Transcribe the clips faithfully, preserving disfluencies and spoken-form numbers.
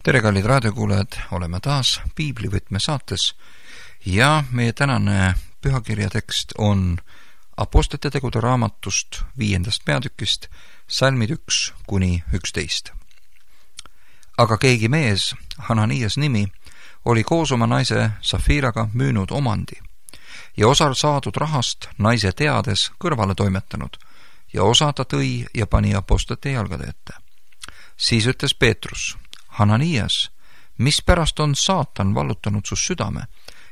tere, kallid raadiokuulajad, oleme taas Piiblivõtme saates ja meie tänane pühakirja tekst on Apostlite tegude raamatust viiendast peatükist, salmid üks kuni üksteist. Aga keegi mees, Hananias nimi, oli koos oma naise Safiraga müünud omandi ja osa saadud rahast naise teades kõrvale toimetanud ja osa ta tõi ja pani apostlite jalgade ette. Siis ütles Peetrus: Hananias, mispärast on saatan vallutanud su südame,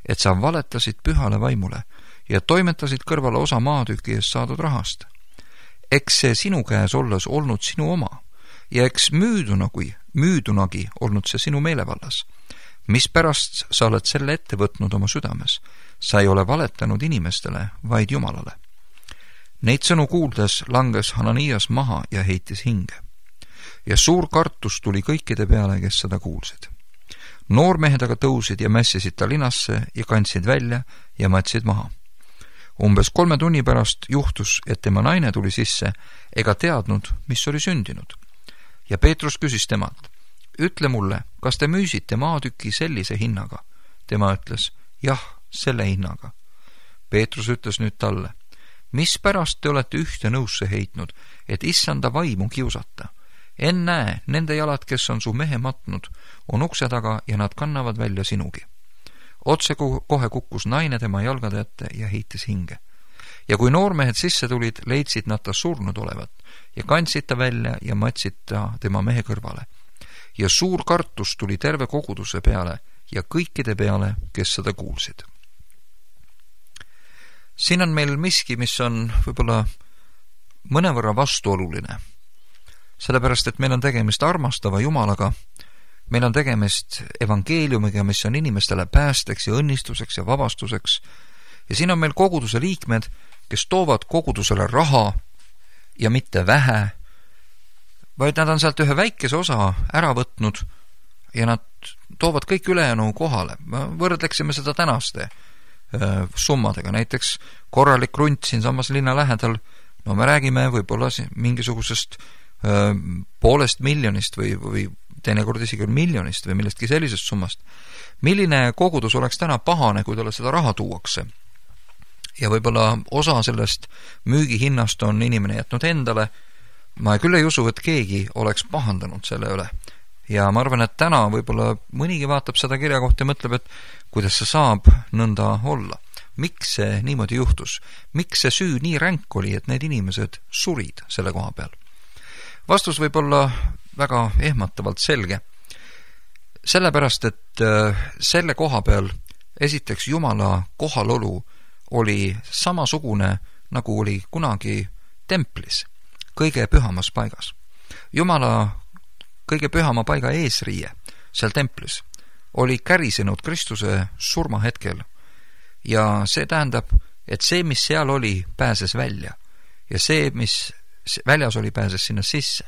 et sa valetasid pühale vaimule ja toimetasid kõrvale osa maatüki eest saadud rahast? Eks see sinu käes olles olnud sinu oma ja eks müüdunagi, müüdunagi olnud see sinu meelevallas. Mispärast sa oled selle ette võtnud oma südames? Sa ei ole valetanud inimestele, vaid Jumalale. Neid sõnu kuuldes langes Hananias maha ja heitis hinge. Ja suur kartus tuli kõikide peale, kes seda kuulsid. Noormehed aga tõusid ja mässisid ta linasse ja kandsid välja ja matsid maha. Umbes kolme tunni pärast juhtus, et tema naine tuli sisse ega teadnud, mis oli sündinud. Ja Peetrus küsis temalt: ütle mulle, kas te müüsite maatüki sellise hinnaga? Tema ütles: jah, selle hinnaga. Peetrus ütles nüüd talle: mispärast te olete ühte nõusse heitnud, et issanda vaimu kiusata? Ennäe, nende jalad, kes on su mehe matnud, on ukse taga ja nad kannavad välja sinugi. Otse kohe kukkus naine tema jalgade ette ja heitis hinge. Ja kui noormehed sisse tulid, leidsid nad ta surnud olevat ja kandsid ta välja ja matsid ta tema mehe kõrvale. Ja suur kartus tuli terve koguduse peale ja kõikide peale, kes seda kuulsid. Siin on meil miski, mis on võib-olla mõnevõrra vastuoluline. Sellepärast, et meil on tegemist armastava Jumalaga, meil on tegemist evangeeliumiga, mis on inimestele päästeks ja õnnistuseks ja vabastuseks. Ja siin on meil koguduse liikmed, kes toovad kogudusele raha ja mitte vähe, vaid nad on sealt ühe väikese osa ära võtnud ja nad toovad kõik ülejäänu kohale. Võrdleksime seda tänaste äh, summadega. Näiteks korralik krunt siin samas linna lähedal, no me räägime võib-olla mingisugusest poolest miljonist või, või teinekord isegi miljonist või millestki sellisest summast. Milline kogudus oleks täna pahane, kui talle seda raha tuuakse? Ja võib-olla osa sellest müügihinnast on inimene jätnud endale. Ma küll ei usu, et keegi oleks pahandanud selle üle. Ja ma arvan, et täna võib-olla mõnigi vaatab seda kirja kohta ja mõtleb, et kuidas see saab nõnda olla. Miks see niimoodi juhtus? Miks see süü nii ränk oli, et need inimesed surid selle koha peal? Vastus võib olla väga ehmatavalt selge. Sellepärast, et selle koha peal esiteks Jumala kohalolu oli samasugune, nagu oli kunagi templis, kõige pühamas paigas. Jumala kõige pühama paiga eesriie seal templis oli kärisenud Kristuse surmahetkel ja see tähendab, et see, mis seal oli, pääses välja ja see, mis väljas oli, pääses sinna sisse.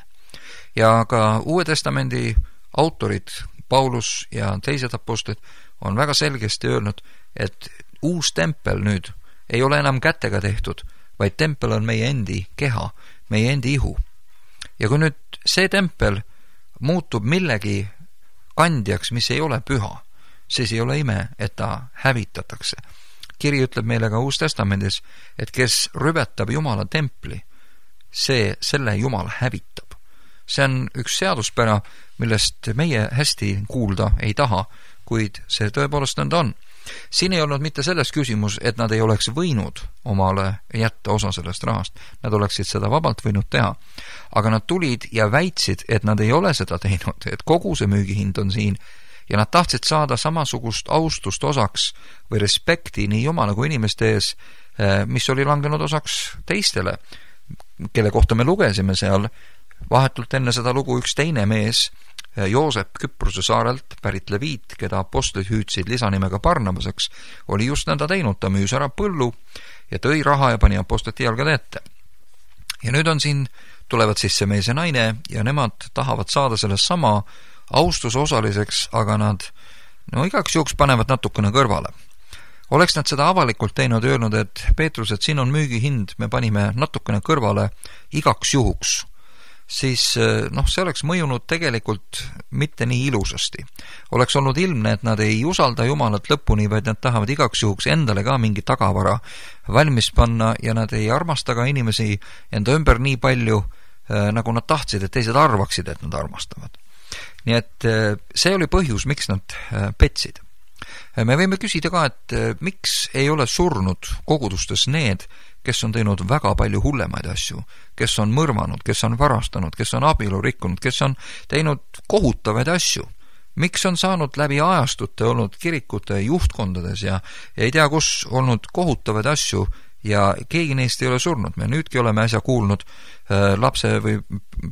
Ja ka Uue Testamendi autorid, Paulus ja teised apostlid, on väga selgesti öelnud, et uus tempel nüüd ei ole enam kätega tehtud, vaid tempel on meie endi keha, meie endi ihu. Ja kui nüüd see tempel muutub millegi kandjaks, mis ei ole püha, siis ei ole ime, et ta hävitatakse. Kiri ütleb meile ka Uus Testamendis, et kes rüvetab Jumala templi, see selle Jumal hävitab. See on üks seaduspära, millest meie hästi kuulda ei taha, kuid see tõepoolest nõnda on. Siin ei olnud mitte selles küsimus, et nad ei oleks võinud omale jätta osa sellest rahast. Nad oleksid seda vabalt võinud teha. Aga nad tulid ja väitsid, et nad ei ole seda teinud, et kogu see müügihind on siin ja nad tahtsid saada samasugust austust osaks või respekti nii Jumala kui inimeste ees, mis oli langenud osaks teistele, kelle kohta me lugesime seal vahetult enne seda lugu üks teine mees, Joosep Küprose saarelt pärit leviit, keda apostlid hüüdsid lisanimega Barnabaseks, oli just nõnda teinud, ta müüs ära põllu ja tõi raha ja pani apostlite jalgade ette. Ja nüüd on siin, tulevad sisse mees ja naine ja nemad tahavad saada sellest sama austuse osaliseks, aga nad no igaks juhuks panevad natukene kõrvale. Oleks nad seda avalikult teinud ja öelnud, et Peetrus, et siin on müügihind, me panime natukene kõrvale igaks juhuks. siis noh, see oleks mõjunud tegelikult mitte nii ilusasti. Oleks olnud ilmne, et nad ei usalda Jumalat lõpuni, vaid nad tahavad igaks juhuks endale ka mingi tagavara valmis panna ja nad ei armasta ka inimesi enda ümber nii palju, nagu nad tahtsid, et teised arvaksid, et nad armastavad. Nii et see oli põhjus, miks nad petsid. Me võime küsida ka, et miks ei ole surnud kogudustes need, kes on teinud väga palju hullemaid asju, kes on mõrvanud, kes on varastanud, kes on abielu rikkunud, kes on teinud kohutavaid asju. Miks on saanud läbi ajastute olnud kirikute juhtkondades ja, ja ei tea, kus olnud kohutavaid asju ja keegi neist ei ole surnud. Me nüüdki oleme äsja kuulnud äh, lapse või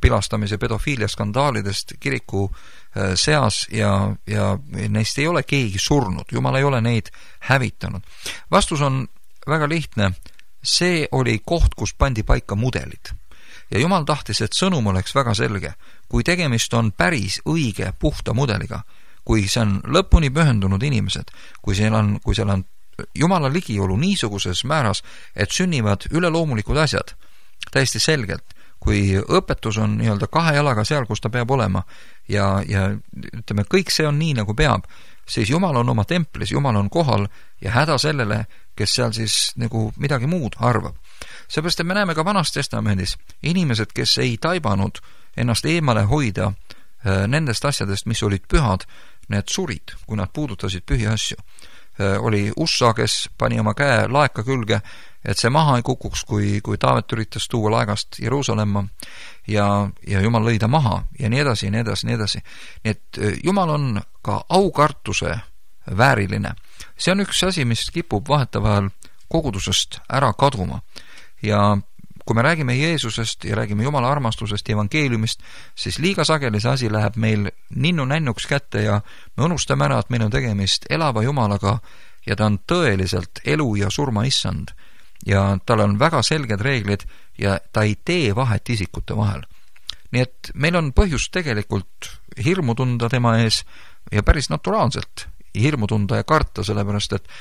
pilastamise pedofiilia skandaalidest kiriku äh, seas ja, ja neist ei ole keegi surnud. Jumal ei ole neid hävitanud. Vastus on väga lihtne. See oli koht, kus pandi paika mudelid. Ja Jumal tahtis, et sõnum oleks väga selge. Kui tegemist on päris õige puhta mudeliga, kui see on lõpuni pühendunud inimesed, kui seal on, kui seal on Jumala ligiolu niisuguses määras, et sünnivad üleloomulikud asjad, täiesti selgelt, kui õpetus on nii-öelda kahe jalaga seal, kus ta peab olema ja, ja ütleme, kõik see on nii, nagu peab, siis Jumal on oma templis, Jumal on kohal ja häda sellele, kes seal siis nagu midagi muud arvab. Seepärast, et me näeme ka Vanas Testamendis inimesed, kes ei taibanud ennast eemale hoida nendest asjadest, mis olid pühad, need surid, kui nad puudutasid pühi asju. Oli Ussa, kes pani oma käe laeka külge, et see maha ei kukuks, kui, kui Taavet üritas tuua laegast Jeruusalemma ja, ja Jumal lõi ta maha ja nii edasi, nii edasi, nii edasi. Nii et Jumal on ka aukartuse vääriline. See on üks asi, mis kipub vahetavahel kogudusest ära kaduma. Ja kui me räägime Jeesusest ja räägime Jumala armastusest ja evangeeliumist, siis liiga sageli see asi läheb meil ninnu-nännuks kätte ja me unustame ära, et meil on tegemist elava Jumalaga ja ta on tõeliselt elu ja surma issand. Ja tal on väga selged reeglid ja ta ei tee vahet isikute vahel. Nii et meil on põhjust tegelikult hirmu tunda tema ees ja päris naturaalselt hirmu tunda ja karta, sellepärast et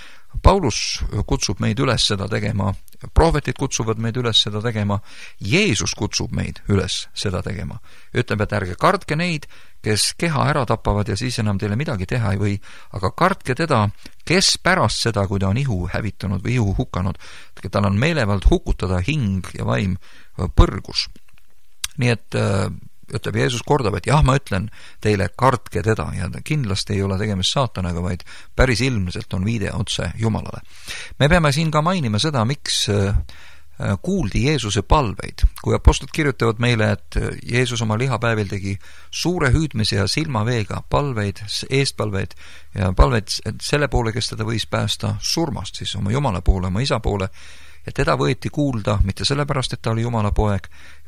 Paulus kutsub meid üles seda tegema, prohvetid kutsuvad meid üles seda tegema, Jeesus kutsub meid üles seda tegema. Ütleb, et ärge kartke neid, kes keha ära tapavad ja siis enam teile midagi teha ei või, aga kartke teda, kes pärast seda, kui ta on ihu hävitanud või ihu hukanud, tal on meelevald hukutada hing ja vaim põrgus. Nii et ütleb Jeesus kordab, et jah, ma ütlen teile, kartke teda ja kindlasti ei ole tegemist saatanaga, vaid päris ilmselt on viide otse Jumalale. Me peame siin ka mainima seda, miks kuuldi Jeesuse palveid. Kui apostlid kirjutavad meile, et Jeesus oma lihapäevil tegi suure hüüdmise ja silmaveega palveid, eestpalveid ja palveid selle poole, kes teda võis päästa surmast, siis oma Jumala poole, oma isa poole, ja teda võeti kuulda mitte sellepärast, et ta oli Jumala poeg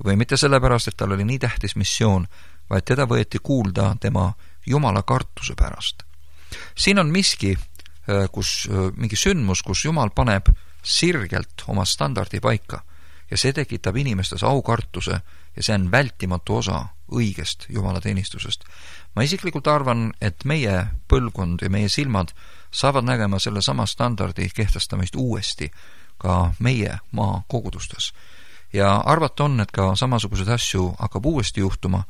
või mitte sellepärast, et tal oli nii tähtis missioon, vaid teda võeti kuulda tema Jumala kartuse pärast. Siin on miski, kus, mingi sündmus, kus Jumal paneb sirgelt oma standardi paika ja see tekitab inimestes aukartuse ja see on vältimatu osa õigest Jumala teenistusest. Ma isiklikult arvan, et meie põlvkond ja meie silmad saavad nägema selle sama standardi kehtestamist uuesti ka meie maa kogudustes. Ja arvata on, et ka samasugused asju hakkab uuesti juhtuma,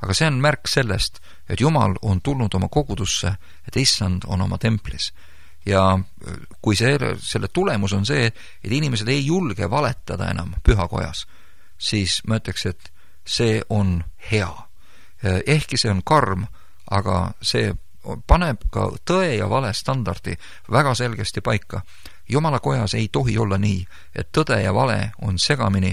aga see on märk sellest, et Jumal on tulnud oma kogudusse, et issand on oma templis. Ja kui see, selle tulemus on see, et inimesed ei julge valetada enam pühakojas, siis ma ütleks, et see on hea. Ehkki see on karm, aga see paneb ka tõe ja vale standardi väga selgesti paika. Jumala kojas ei tohi olla nii, et tõde ja vale on segamini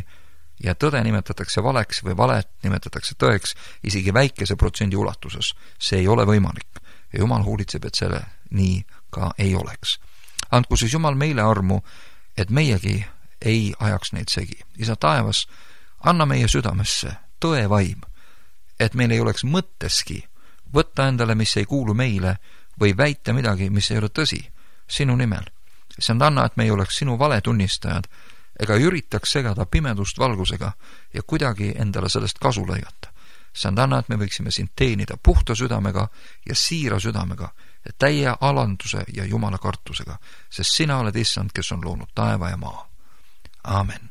ja tõde nimetatakse valeks või valet nimetatakse tõeks isegi väikese protsendi ulatuses. See ei ole võimalik ja Jumal hoolitseb, et selle nii ka ei oleks. Andku siis Jumal meile armu, et meiegi ei ajaks neid segi. Isa taevas, anna meie südamesse tõe vaim, et meil ei oleks mõtteski võtta endale, mis ei kuulu meile või väita midagi, mis ei ole tõsi sinu nimel. See on anna, et me ei oleks sinu valetunnistajad ega üritaks segada pimedust valgusega ja kuidagi endale sellest kasu lõigata. See on anna, et me võiksime sind teenida puhta südamega ja siira südamega ja täie alanduse ja Jumala kartusega, sest sina oled issand, kes on loonud taeva ja maa. Aamen.